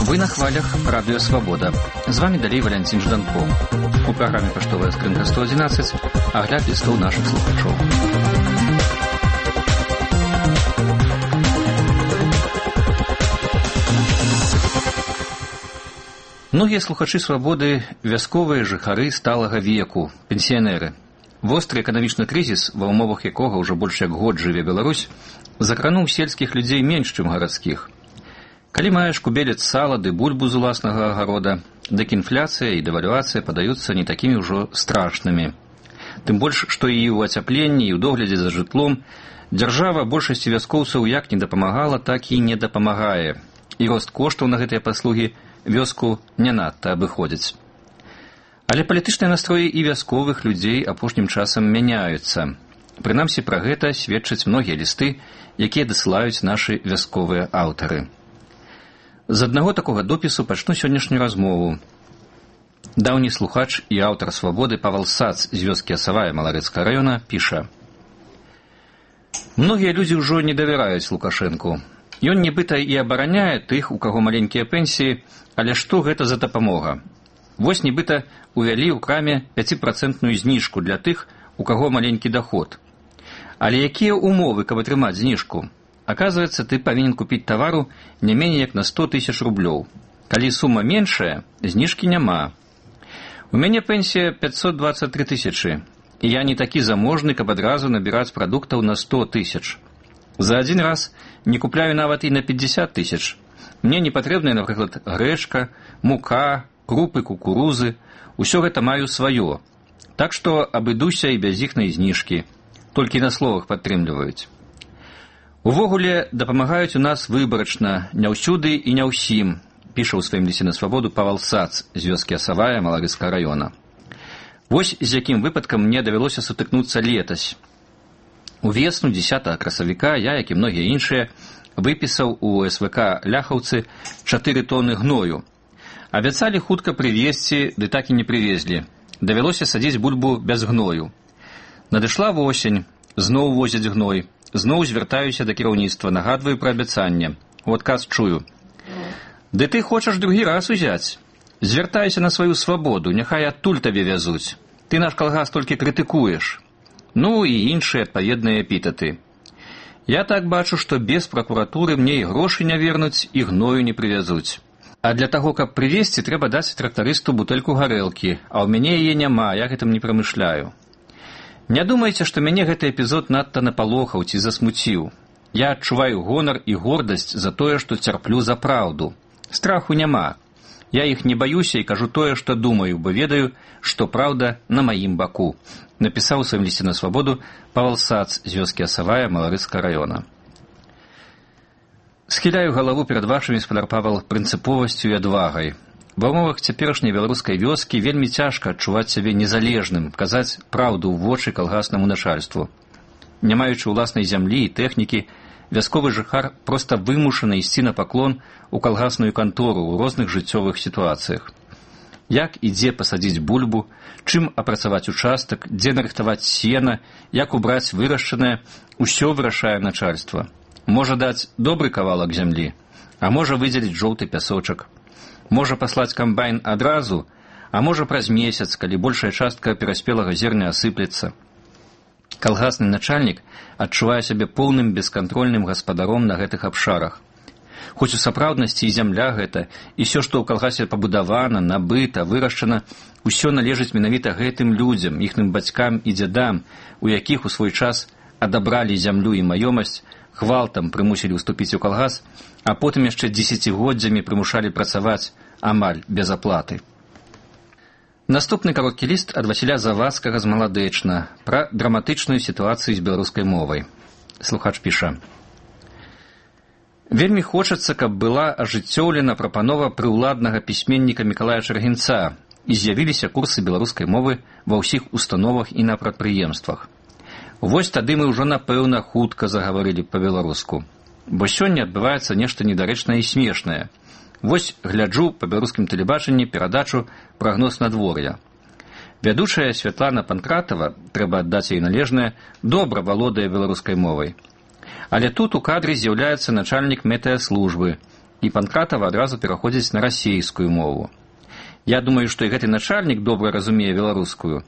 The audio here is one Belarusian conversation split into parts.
Вы на хвалях Радио Свобода. З вами далей Валянцін Жданко. У праграме «Паштовая скрынка 111» агляд лістоў нашых слухачоў. Многія слухачы «Свабоды» – вясковыя жыхары сталага веку, пенсіянеры. Востры эканамічны крызіс, ва ўмовах якога ўжо больш як год жыве Беларусь, закрануў сельскіх людзей менш, чым гарадскіх. Калі маеш кубелец сала ды бульбу з уласнага агарода, дык інфляцыя і дэвальвацыя падаюцца не такімі ўжо страшнымі. Тым больш, што і ў ацяпленні, і ў доглядзе за жытлом дзяржава большасці вяскоўцаў як не дапамагала, так і не дапамагае. І рост коштаў на гэтыя паслугі вёску не надта абыходзіць. Але палітычныя настроі і вясковых людзей апошнім часам мяняюцца. Прынамсі пра гэта сведчаць многія лісты, якія дасылаюць нашы вясковыя аўтары. З аднаго такога допісу пачну сённяшнюю размову. Даўні слухач і аўтар «Свабоды» Павал Сац з вёскі Асавая Маларэцкага раёна піша: «Многія людзі ўжо не давяраюць Лукашэнку. Ён нібыта і абараняе тых, у каго маленькія пенсіі, але што гэта за дапамога? Вось нібыта увялі ў краме 5% зніжку для тых, у каго маленькі даход. Але якія ўмовы, каб атрымаць зніжку? Оказывается, ты павінен купіць тавару не меней як на 100 000 рублёў. Калі сума меншая, зніжкі няма. У мяне пенсія 523 000, і я не такі заможны, каб адразу набіраць прадуктаў на 100 000. За адзін раз не купляю нават і на 50 000. Мне не патрэбная, напрыклад, грэчка, мука, крупы, кукурузы. Усё гэта маю сваё. Так што абыдуся і без іхнай зніжкі. Толькі на словах падтрымліваюць. Увогуле дапамагаюць у нас выбарачна, не ўсюды і не ўсім», піша ў сваім лісце на «Свабоду» Павал Сац з вёскі Асавая Маларэцкага раёна. Вось з якім выпадкам мне давялося сутыкнуцца летась. Увесну 10 красавіка я, як і многія іншыя, выпісаў у СВК Ляхаўцы 4 тоны гною. Абяцалі хутка прывезці, ды так і не прывезлі. Давялося садзіць бульбу без гною. Надышла восень, зноў возяць гной. Зноў звяртаюся да кіраўніцтва, нагадваю пра абяцанне. У адказ чую: «Ды ты хочаш другі раз узяць? Звяртайся на сваю свабоду, няхай адтуль табе вязуць. Ты наш калгас толькі крытыкуеш». Ну і іншыя адпаведныя эпітэты. Я так бачу, што без пракуратуры мне і грошы не вернуць, і гною не прывязуць. А для таго, каб прывезці, трэба даць трактарысту бутэльку гарэлкі, а ў мяне яе няма, я гэтым не прамышляю. Не думайце, што мяне гэты эпізод надта напалохаў ці засмуціў. Я адчуваю гонар і гордасць за тое, што цярплю за праўду. Страху няма. Я іх не баюся і кажу тое, што думаю, бо ведаю, што праўда на маім баку», напісаў у сваім лісце на «Свабоду» Павал Сац з вёскі Асавая Маларэцкага раёна. Схіляю галаву перад вашымі, спадар Павал, прынцыповасцю і адвагай. Ва ўмовах цяперашняй беларускай вёскі вельмі цяжка адчуваць сябе незалежным, казаць праўду ў вочы калгаснаму начальству. Не маючы ўласнай зямлі і тэхнікі, вясковы жыхар проста вымушаны ісці на паклон у калгасную кантору ў розных жыццёвых сітуацыях. Як і дзе пасадзіць бульбу, чым апрацаваць участак, дзе нарыхтаваць сена, як убраць вырашчанае, усё вырашае начальства. Можа даць добры кавалак зямлі, а можа выдзеліць жоўты пясочак. Можа паслаць камбайн адразу, а можа праз месяц, калі большая частка пераспелага зерня асыплецца. Калгасны начальнік адчувае сябе поўным бескантрольным гаспадаром на гэтых абшарах. Хоць у сапраўднасці і зямля гэта, і ўсё, што ў калгасе пабудавана, набыта, вырашчана, усё належыць менавіта гэтым людзям, іхным бацькам і дзядам, у якіх у свой час адабралі зямлю і маёмасць, гвалтам прымусілі ўступіць у калгас, а потым яшчэ дзесяцігоддзямі прымушалі працаваць амаль без аплаты. Наступны кароткі ліст ад Васіля Завадскага з Маладэчна пра драматычную сітуацыю з беларускай мовай. Слухач піша: «Вельмі хочацца, каб была ажыццёўлена прапанова прыўладнага пісьменніка Мікалая Чаргінца і з'явіліся курсы беларускай мовы ва ўсіх установах і на прадпрыемствах. Вось тады мы ўжо, напэўна, хутка загаварылі па-беларуску. Бо сёння адбываецца нешта недарэчнае і смешнае. Вось гляджу па беларускім тэлебачанні перадачу «Прагноз надвор'я». Вядучая Святлана Панкратава, трэба аддаць ёй належнае, добра валодае беларускай мовай. Але тут у кадры з'яўляецца начальнік метэаслужбы, і Панкратава адразу пераходзіць на расейскую мову. Я думаю, што і гэты начальнік добра разумее беларускую,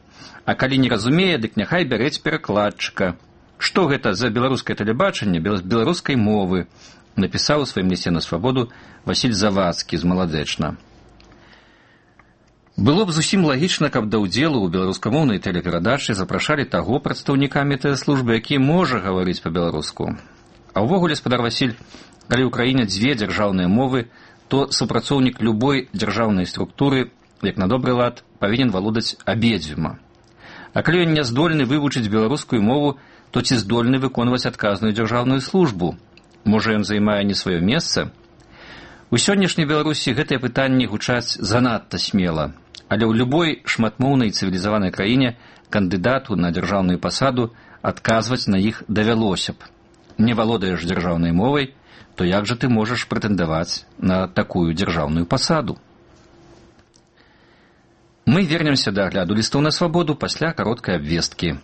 а калі не разумее, дык няхай бярэць перакладчыка. Што гэта за беларускае тэлебачанне без беларускай мовы, напісаў у сваім лісце на свабоду Васіль Завадскі з Маладзечна. Было б зусім лагічна, каб да ўдзелу ў беларускамоўнай тэлеперадачы запрашалі таго прадстаўніка метэаслужбы, які можа гаварыць па-беларуску. А ўвогуле, спадар Васіль, калі ў краіне дзве дзяржаўныя мовы, то супрацоўнік любой дзяржаўнай структуры, як на добры лад, павінен валодаць абедзвюма. А калі ён не здольны вывучыць беларускую мову, то ці здольны выконваць адказную дзяржаўную службу? Можа, ён займае не сваё месца? У сённяшняй Беларусі гэтыя пытанні гучаць занадта смела, але ў любой шматмоўнай цывілізаванай краіне кандыдату на дзяржаўную пасаду адказваць на іх давялося б. Не валодаеш дзяржаўнай мовай, то як жа ты можаш прэтэндаваць на такую дзяржаўную пасаду? Мы вернемся да агляду лістоў на свабоду пасля кароткай абвесткі.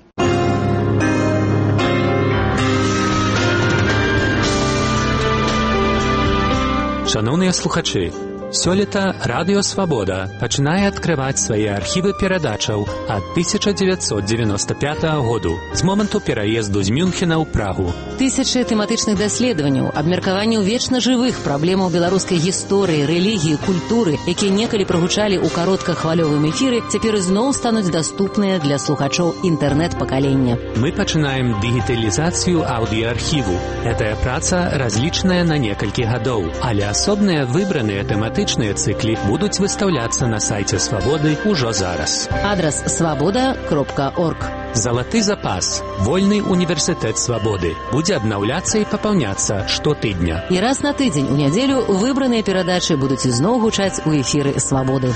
Шановныя слухачы, сёлета Радыё Свабода пачынае адкрываць свае архівы перадачаў ад 1995 году, з моманту пераезду з Мюнхена ў Прагу. Тысячы тэматычных даследаванняў, абмеркаванняў вечна жывых праблемаў беларускай гісторыі, рэлігіі, культуры, якія некалі прагучалі ў кароткахвалёвым эфіры, цяпер ізноў стануць даступныя для слухачоў інтэрнэт-пакалення. Мы пачынаем дыгіталізацыю аўдыаархіву. Гэтая праца разлічаная на некалькі гадоў, але асобныя выбраныя тэматычныя цыклі будуць выстаўляцца на сайце Свабоды ўжо зараз. Адрас свабода.орг. Залаты запас. Вольны універсітэт Свабоды будзе абнаўляцца і папаўняцца штотыдня. І раз на тыдзень у нядзелю выбраныя перадачы будуць ізноў гучаць у эфіры Свабоды.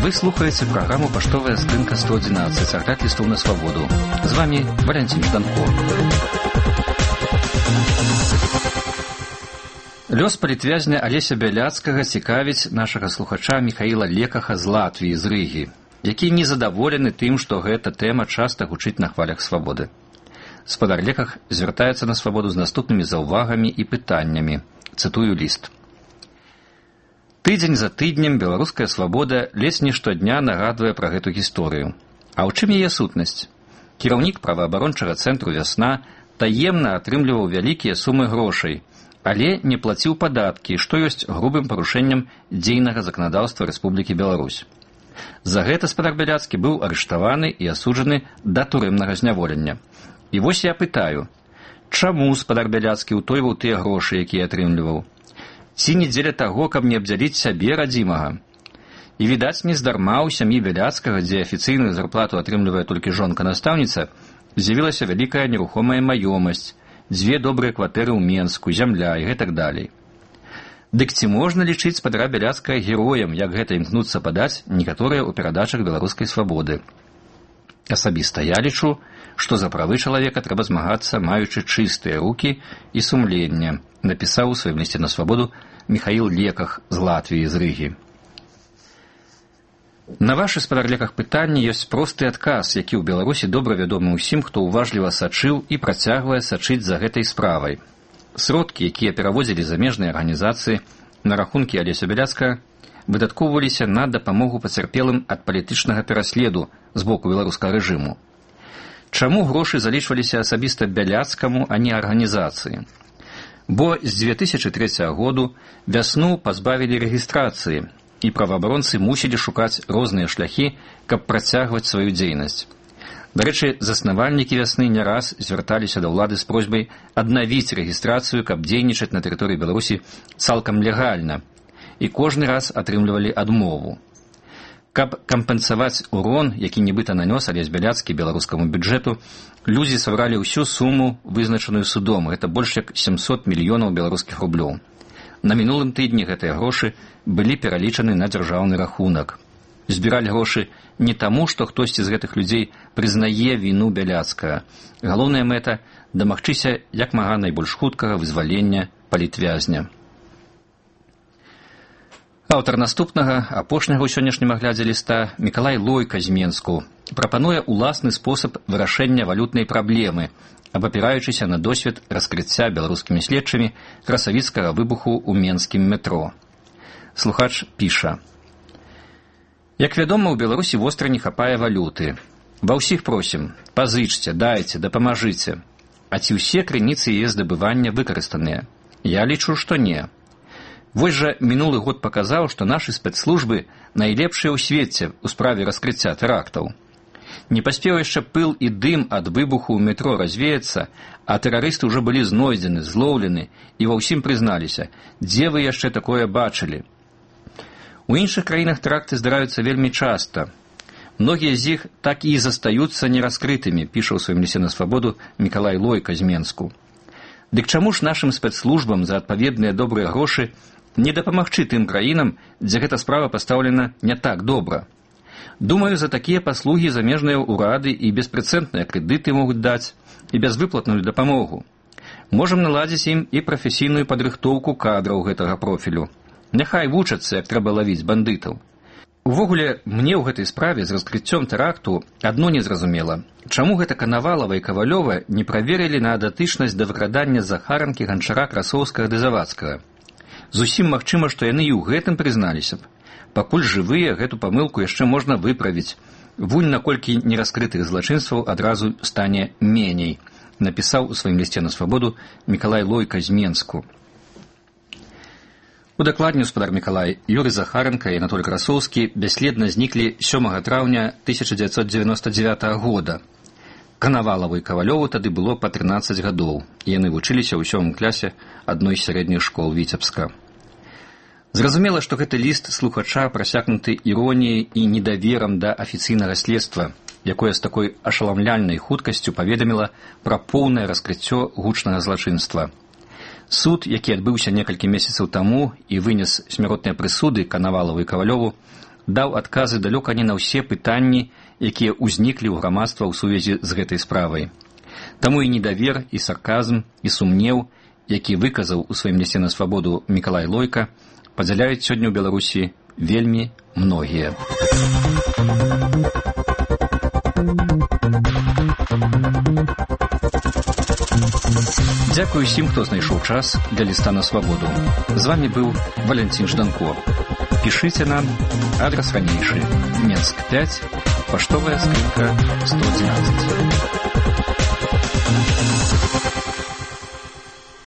Вы слухаеце праграму «Паштовая скрынка 111», агляд лістоў на свабоду. З вами Валянцін Жданко. Лёс палітвязня Алеся Бяляцкага цікавіць нашага слухача Міхаіла Лекаха з Латвіі, з Рыгі, які незадаволены тым, што гэта тэма часта гучыць на хвалях свабоды. Спадар Леках звяртаецца на свабоду з наступнымі заўвагамі і пытаннямі. Цытую ліст. Тыдзень за тыднем беларуская свабода ледзь не штодня нагадвае пра гэту гісторыю. А ў чым яе сутнасць? Кіраўнік праваабарончага цэнтру «Вясна» таемна атрымліваў вялікія сумы грошай, але не плаціў падаткі, што ёсць грубым парушэннем дзейнага заканадаўства Рэспублікі Беларусь. За гэта спадар Бяляцкі быў арыштаваны і асуджаны да турэмнага зняволення. І вось я пытаю, чаму спадар Бяляцкі ўтойваў тыя грошы, якія атрымліваў? Ці не дзеля таго, каб не абдзяліць сябе радзімага? І, відаць, нездарма ў сям'і Бяляцкага, дзе афіцыйную зарплату атрымлівае толькі жонка-настаўніца, з'явілася вялікая нерухомая маёмасць, 2 добрыя кватэры ў Менску, зямля і гэтак далей. Дык ці можна лічыць спадара Бяляцкага героем, як гэта імкнуцца падаць некаторыя ў перадачах беларускай свабоды? Асабіста я лічу, што за правы чалавека трэба змагацца, маючы чыстыя рукі і сумленне, напісаў у сваім лісце на свабоду Міхаіл Леках з Латвіі, з Рыгі. На вашы, спадар Леках, пытанні ёсць просты адказ, які ў Беларусі добра вядомы ўсім, хто ўважліва сачыў і працягвае сачыць за гэтай справай. Сродкі, якія перавозілі замежныя арганізацыі на рахункі Алеся Бяляцкага, выдаткоўваліся на дапамогу пацярпелым ад палітычнага пераследу з боку беларускага рэжыму. Чаму грошы залічваліся асабіста Бяляцкаму, а не арганізацыі? Бо з 2003 году «Вясну» пазбавілі рэгістрацыі, і праваабаронцы мусілі шукаць розныя шляхі, каб працягваць сваю дзейнасць. Дарэчы, заснавальнікі «Вясны» не раз звярталіся да ўлады з просьбай аднавіць рэгістрацыю, каб дзейнічаць на тэрыторыі Беларусі цалкам легальна, і кожны раз атрымлівалі адмову. Каб кампенсаваць урон, які нібыта нанёс Алесь Бяляцкі беларускаму бюджэту, людзі сабралі ўсю суму, вызначаную судом. Гэта больш як 700 мільёнаў беларускіх рублёў. На мінулым тыдні гэтыя грошы былі пералічаны на дзяржаўны рахунак. Збіралі грошы не таму, што хтосьці з гэтых людзей прызнае віну Бяляцкага. Галоўная мэта – дамагчыся як мага найбольш хуткага вызвалення палітвязня. Аўтар наступнага, апошняга ў сённяшнім аглядзе ліста, Мікалай Лойка з Менску, прапануе ўласны спосаб вырашэння валютнай праблемы, абапіраючыся на досвед раскрыцця беларускімі следчымі красавіцкага выбуху ў менскім метро. Слухач піша: «Як вядома, у Беларусі востра не хапае валюты. Ва ўсіх просім, пазычце, дайце, дапамажыце. А ці ўсе крыніцы яе здабывання выкарыстаныя? Я лічу, што не. Вось жа мінулы год паказаў, што нашы спецслужбы найлепшыя ў свеце ў справе раскрыцця тэрактаў. Не паспеў яшчэ пыл і дым ад выбуху ў метро развеяцца, а тэрарысты ўжо былі знойдзены, злоўлены і ва ўсім прызналіся, дзе вы яшчэ такое бачылі. У іншых краінах тэракты здараюцца вельмі часта. Многія з іх так і застаюцца нераскрытымі», піша ў сваім лісце на свабоду Мікалай Лойка з Менску. Дык чаму ж нашым спецслужбам за адпаведныя добрыя грошы не дапамагчы тым краінам, дзе гэта справа пастаўлена не так добра? Думаю, за такія паслугі замежныя ўрады і беспрэцэдныя крэдыты могуць даць, і бязвыплатную дапамогу. Можам наладзіць ім і прафесійную падрыхтоўку кадраў гэтага профілю. Няхай вучацца, як трэба лавіць бандытаў. Увогуле, мне ў гэтай справе з раскрыццём тэракту адно незразумела. Чаму гэта Канавалава і Кавалёва не праверылі на датычнасць да выкрадання Захаранкі, Ганчара, Красоўскага ды Завадскага? Зусім магчыма, што яны і ў гэтым прызналіся б. Пакуль жывыя, гэту памылку яшчэ можна выправіць. Вунь наколькі нераскрытых злачынстваў адразу стане меней, напісаў у сваім лісце на свабоду Мікалай Лойка з Менску. Удакладніў спадар Мікалай, Юрый Захаранка і Анатоль Красоўскі бясследна зніклі 7 траўня 1999 года. Канавалаву і Кавалёву тады было па 13 гадоў, і яны вучыліся ў 7 класе адной з сярэдніх школ Віцебска. Зразумела, што гэты ліст слухача прасякнуты іроніяй і недаверам да афіцыйнага следства, якое з такой ашаламляльнай хуткасцю паведаміла пра поўнае раскрыццё гучнага злачынства. Суд, які адбыўся некалькі месяцаў таму і вынес смяротныя прысуды Канавалаву і Кавалёву, даў адказы далёка не на ўсе пытанні, якія ўзніклі ў грамадства ў сувязі з гэтай справай. Таму і недавер, і сарказм, і сумнеў, які выказаў у сваім лісце на свабоду Мікалай Лойка, падзяляюць сёння ў Беларусі вельмі многія. Дзякую усім, хто знайшоў час для ліста на свабоду. З вамі быў Валянцін Жданко. Пішыце нам, адрас ранейшы, Менск 5, паштовая скрынка 111.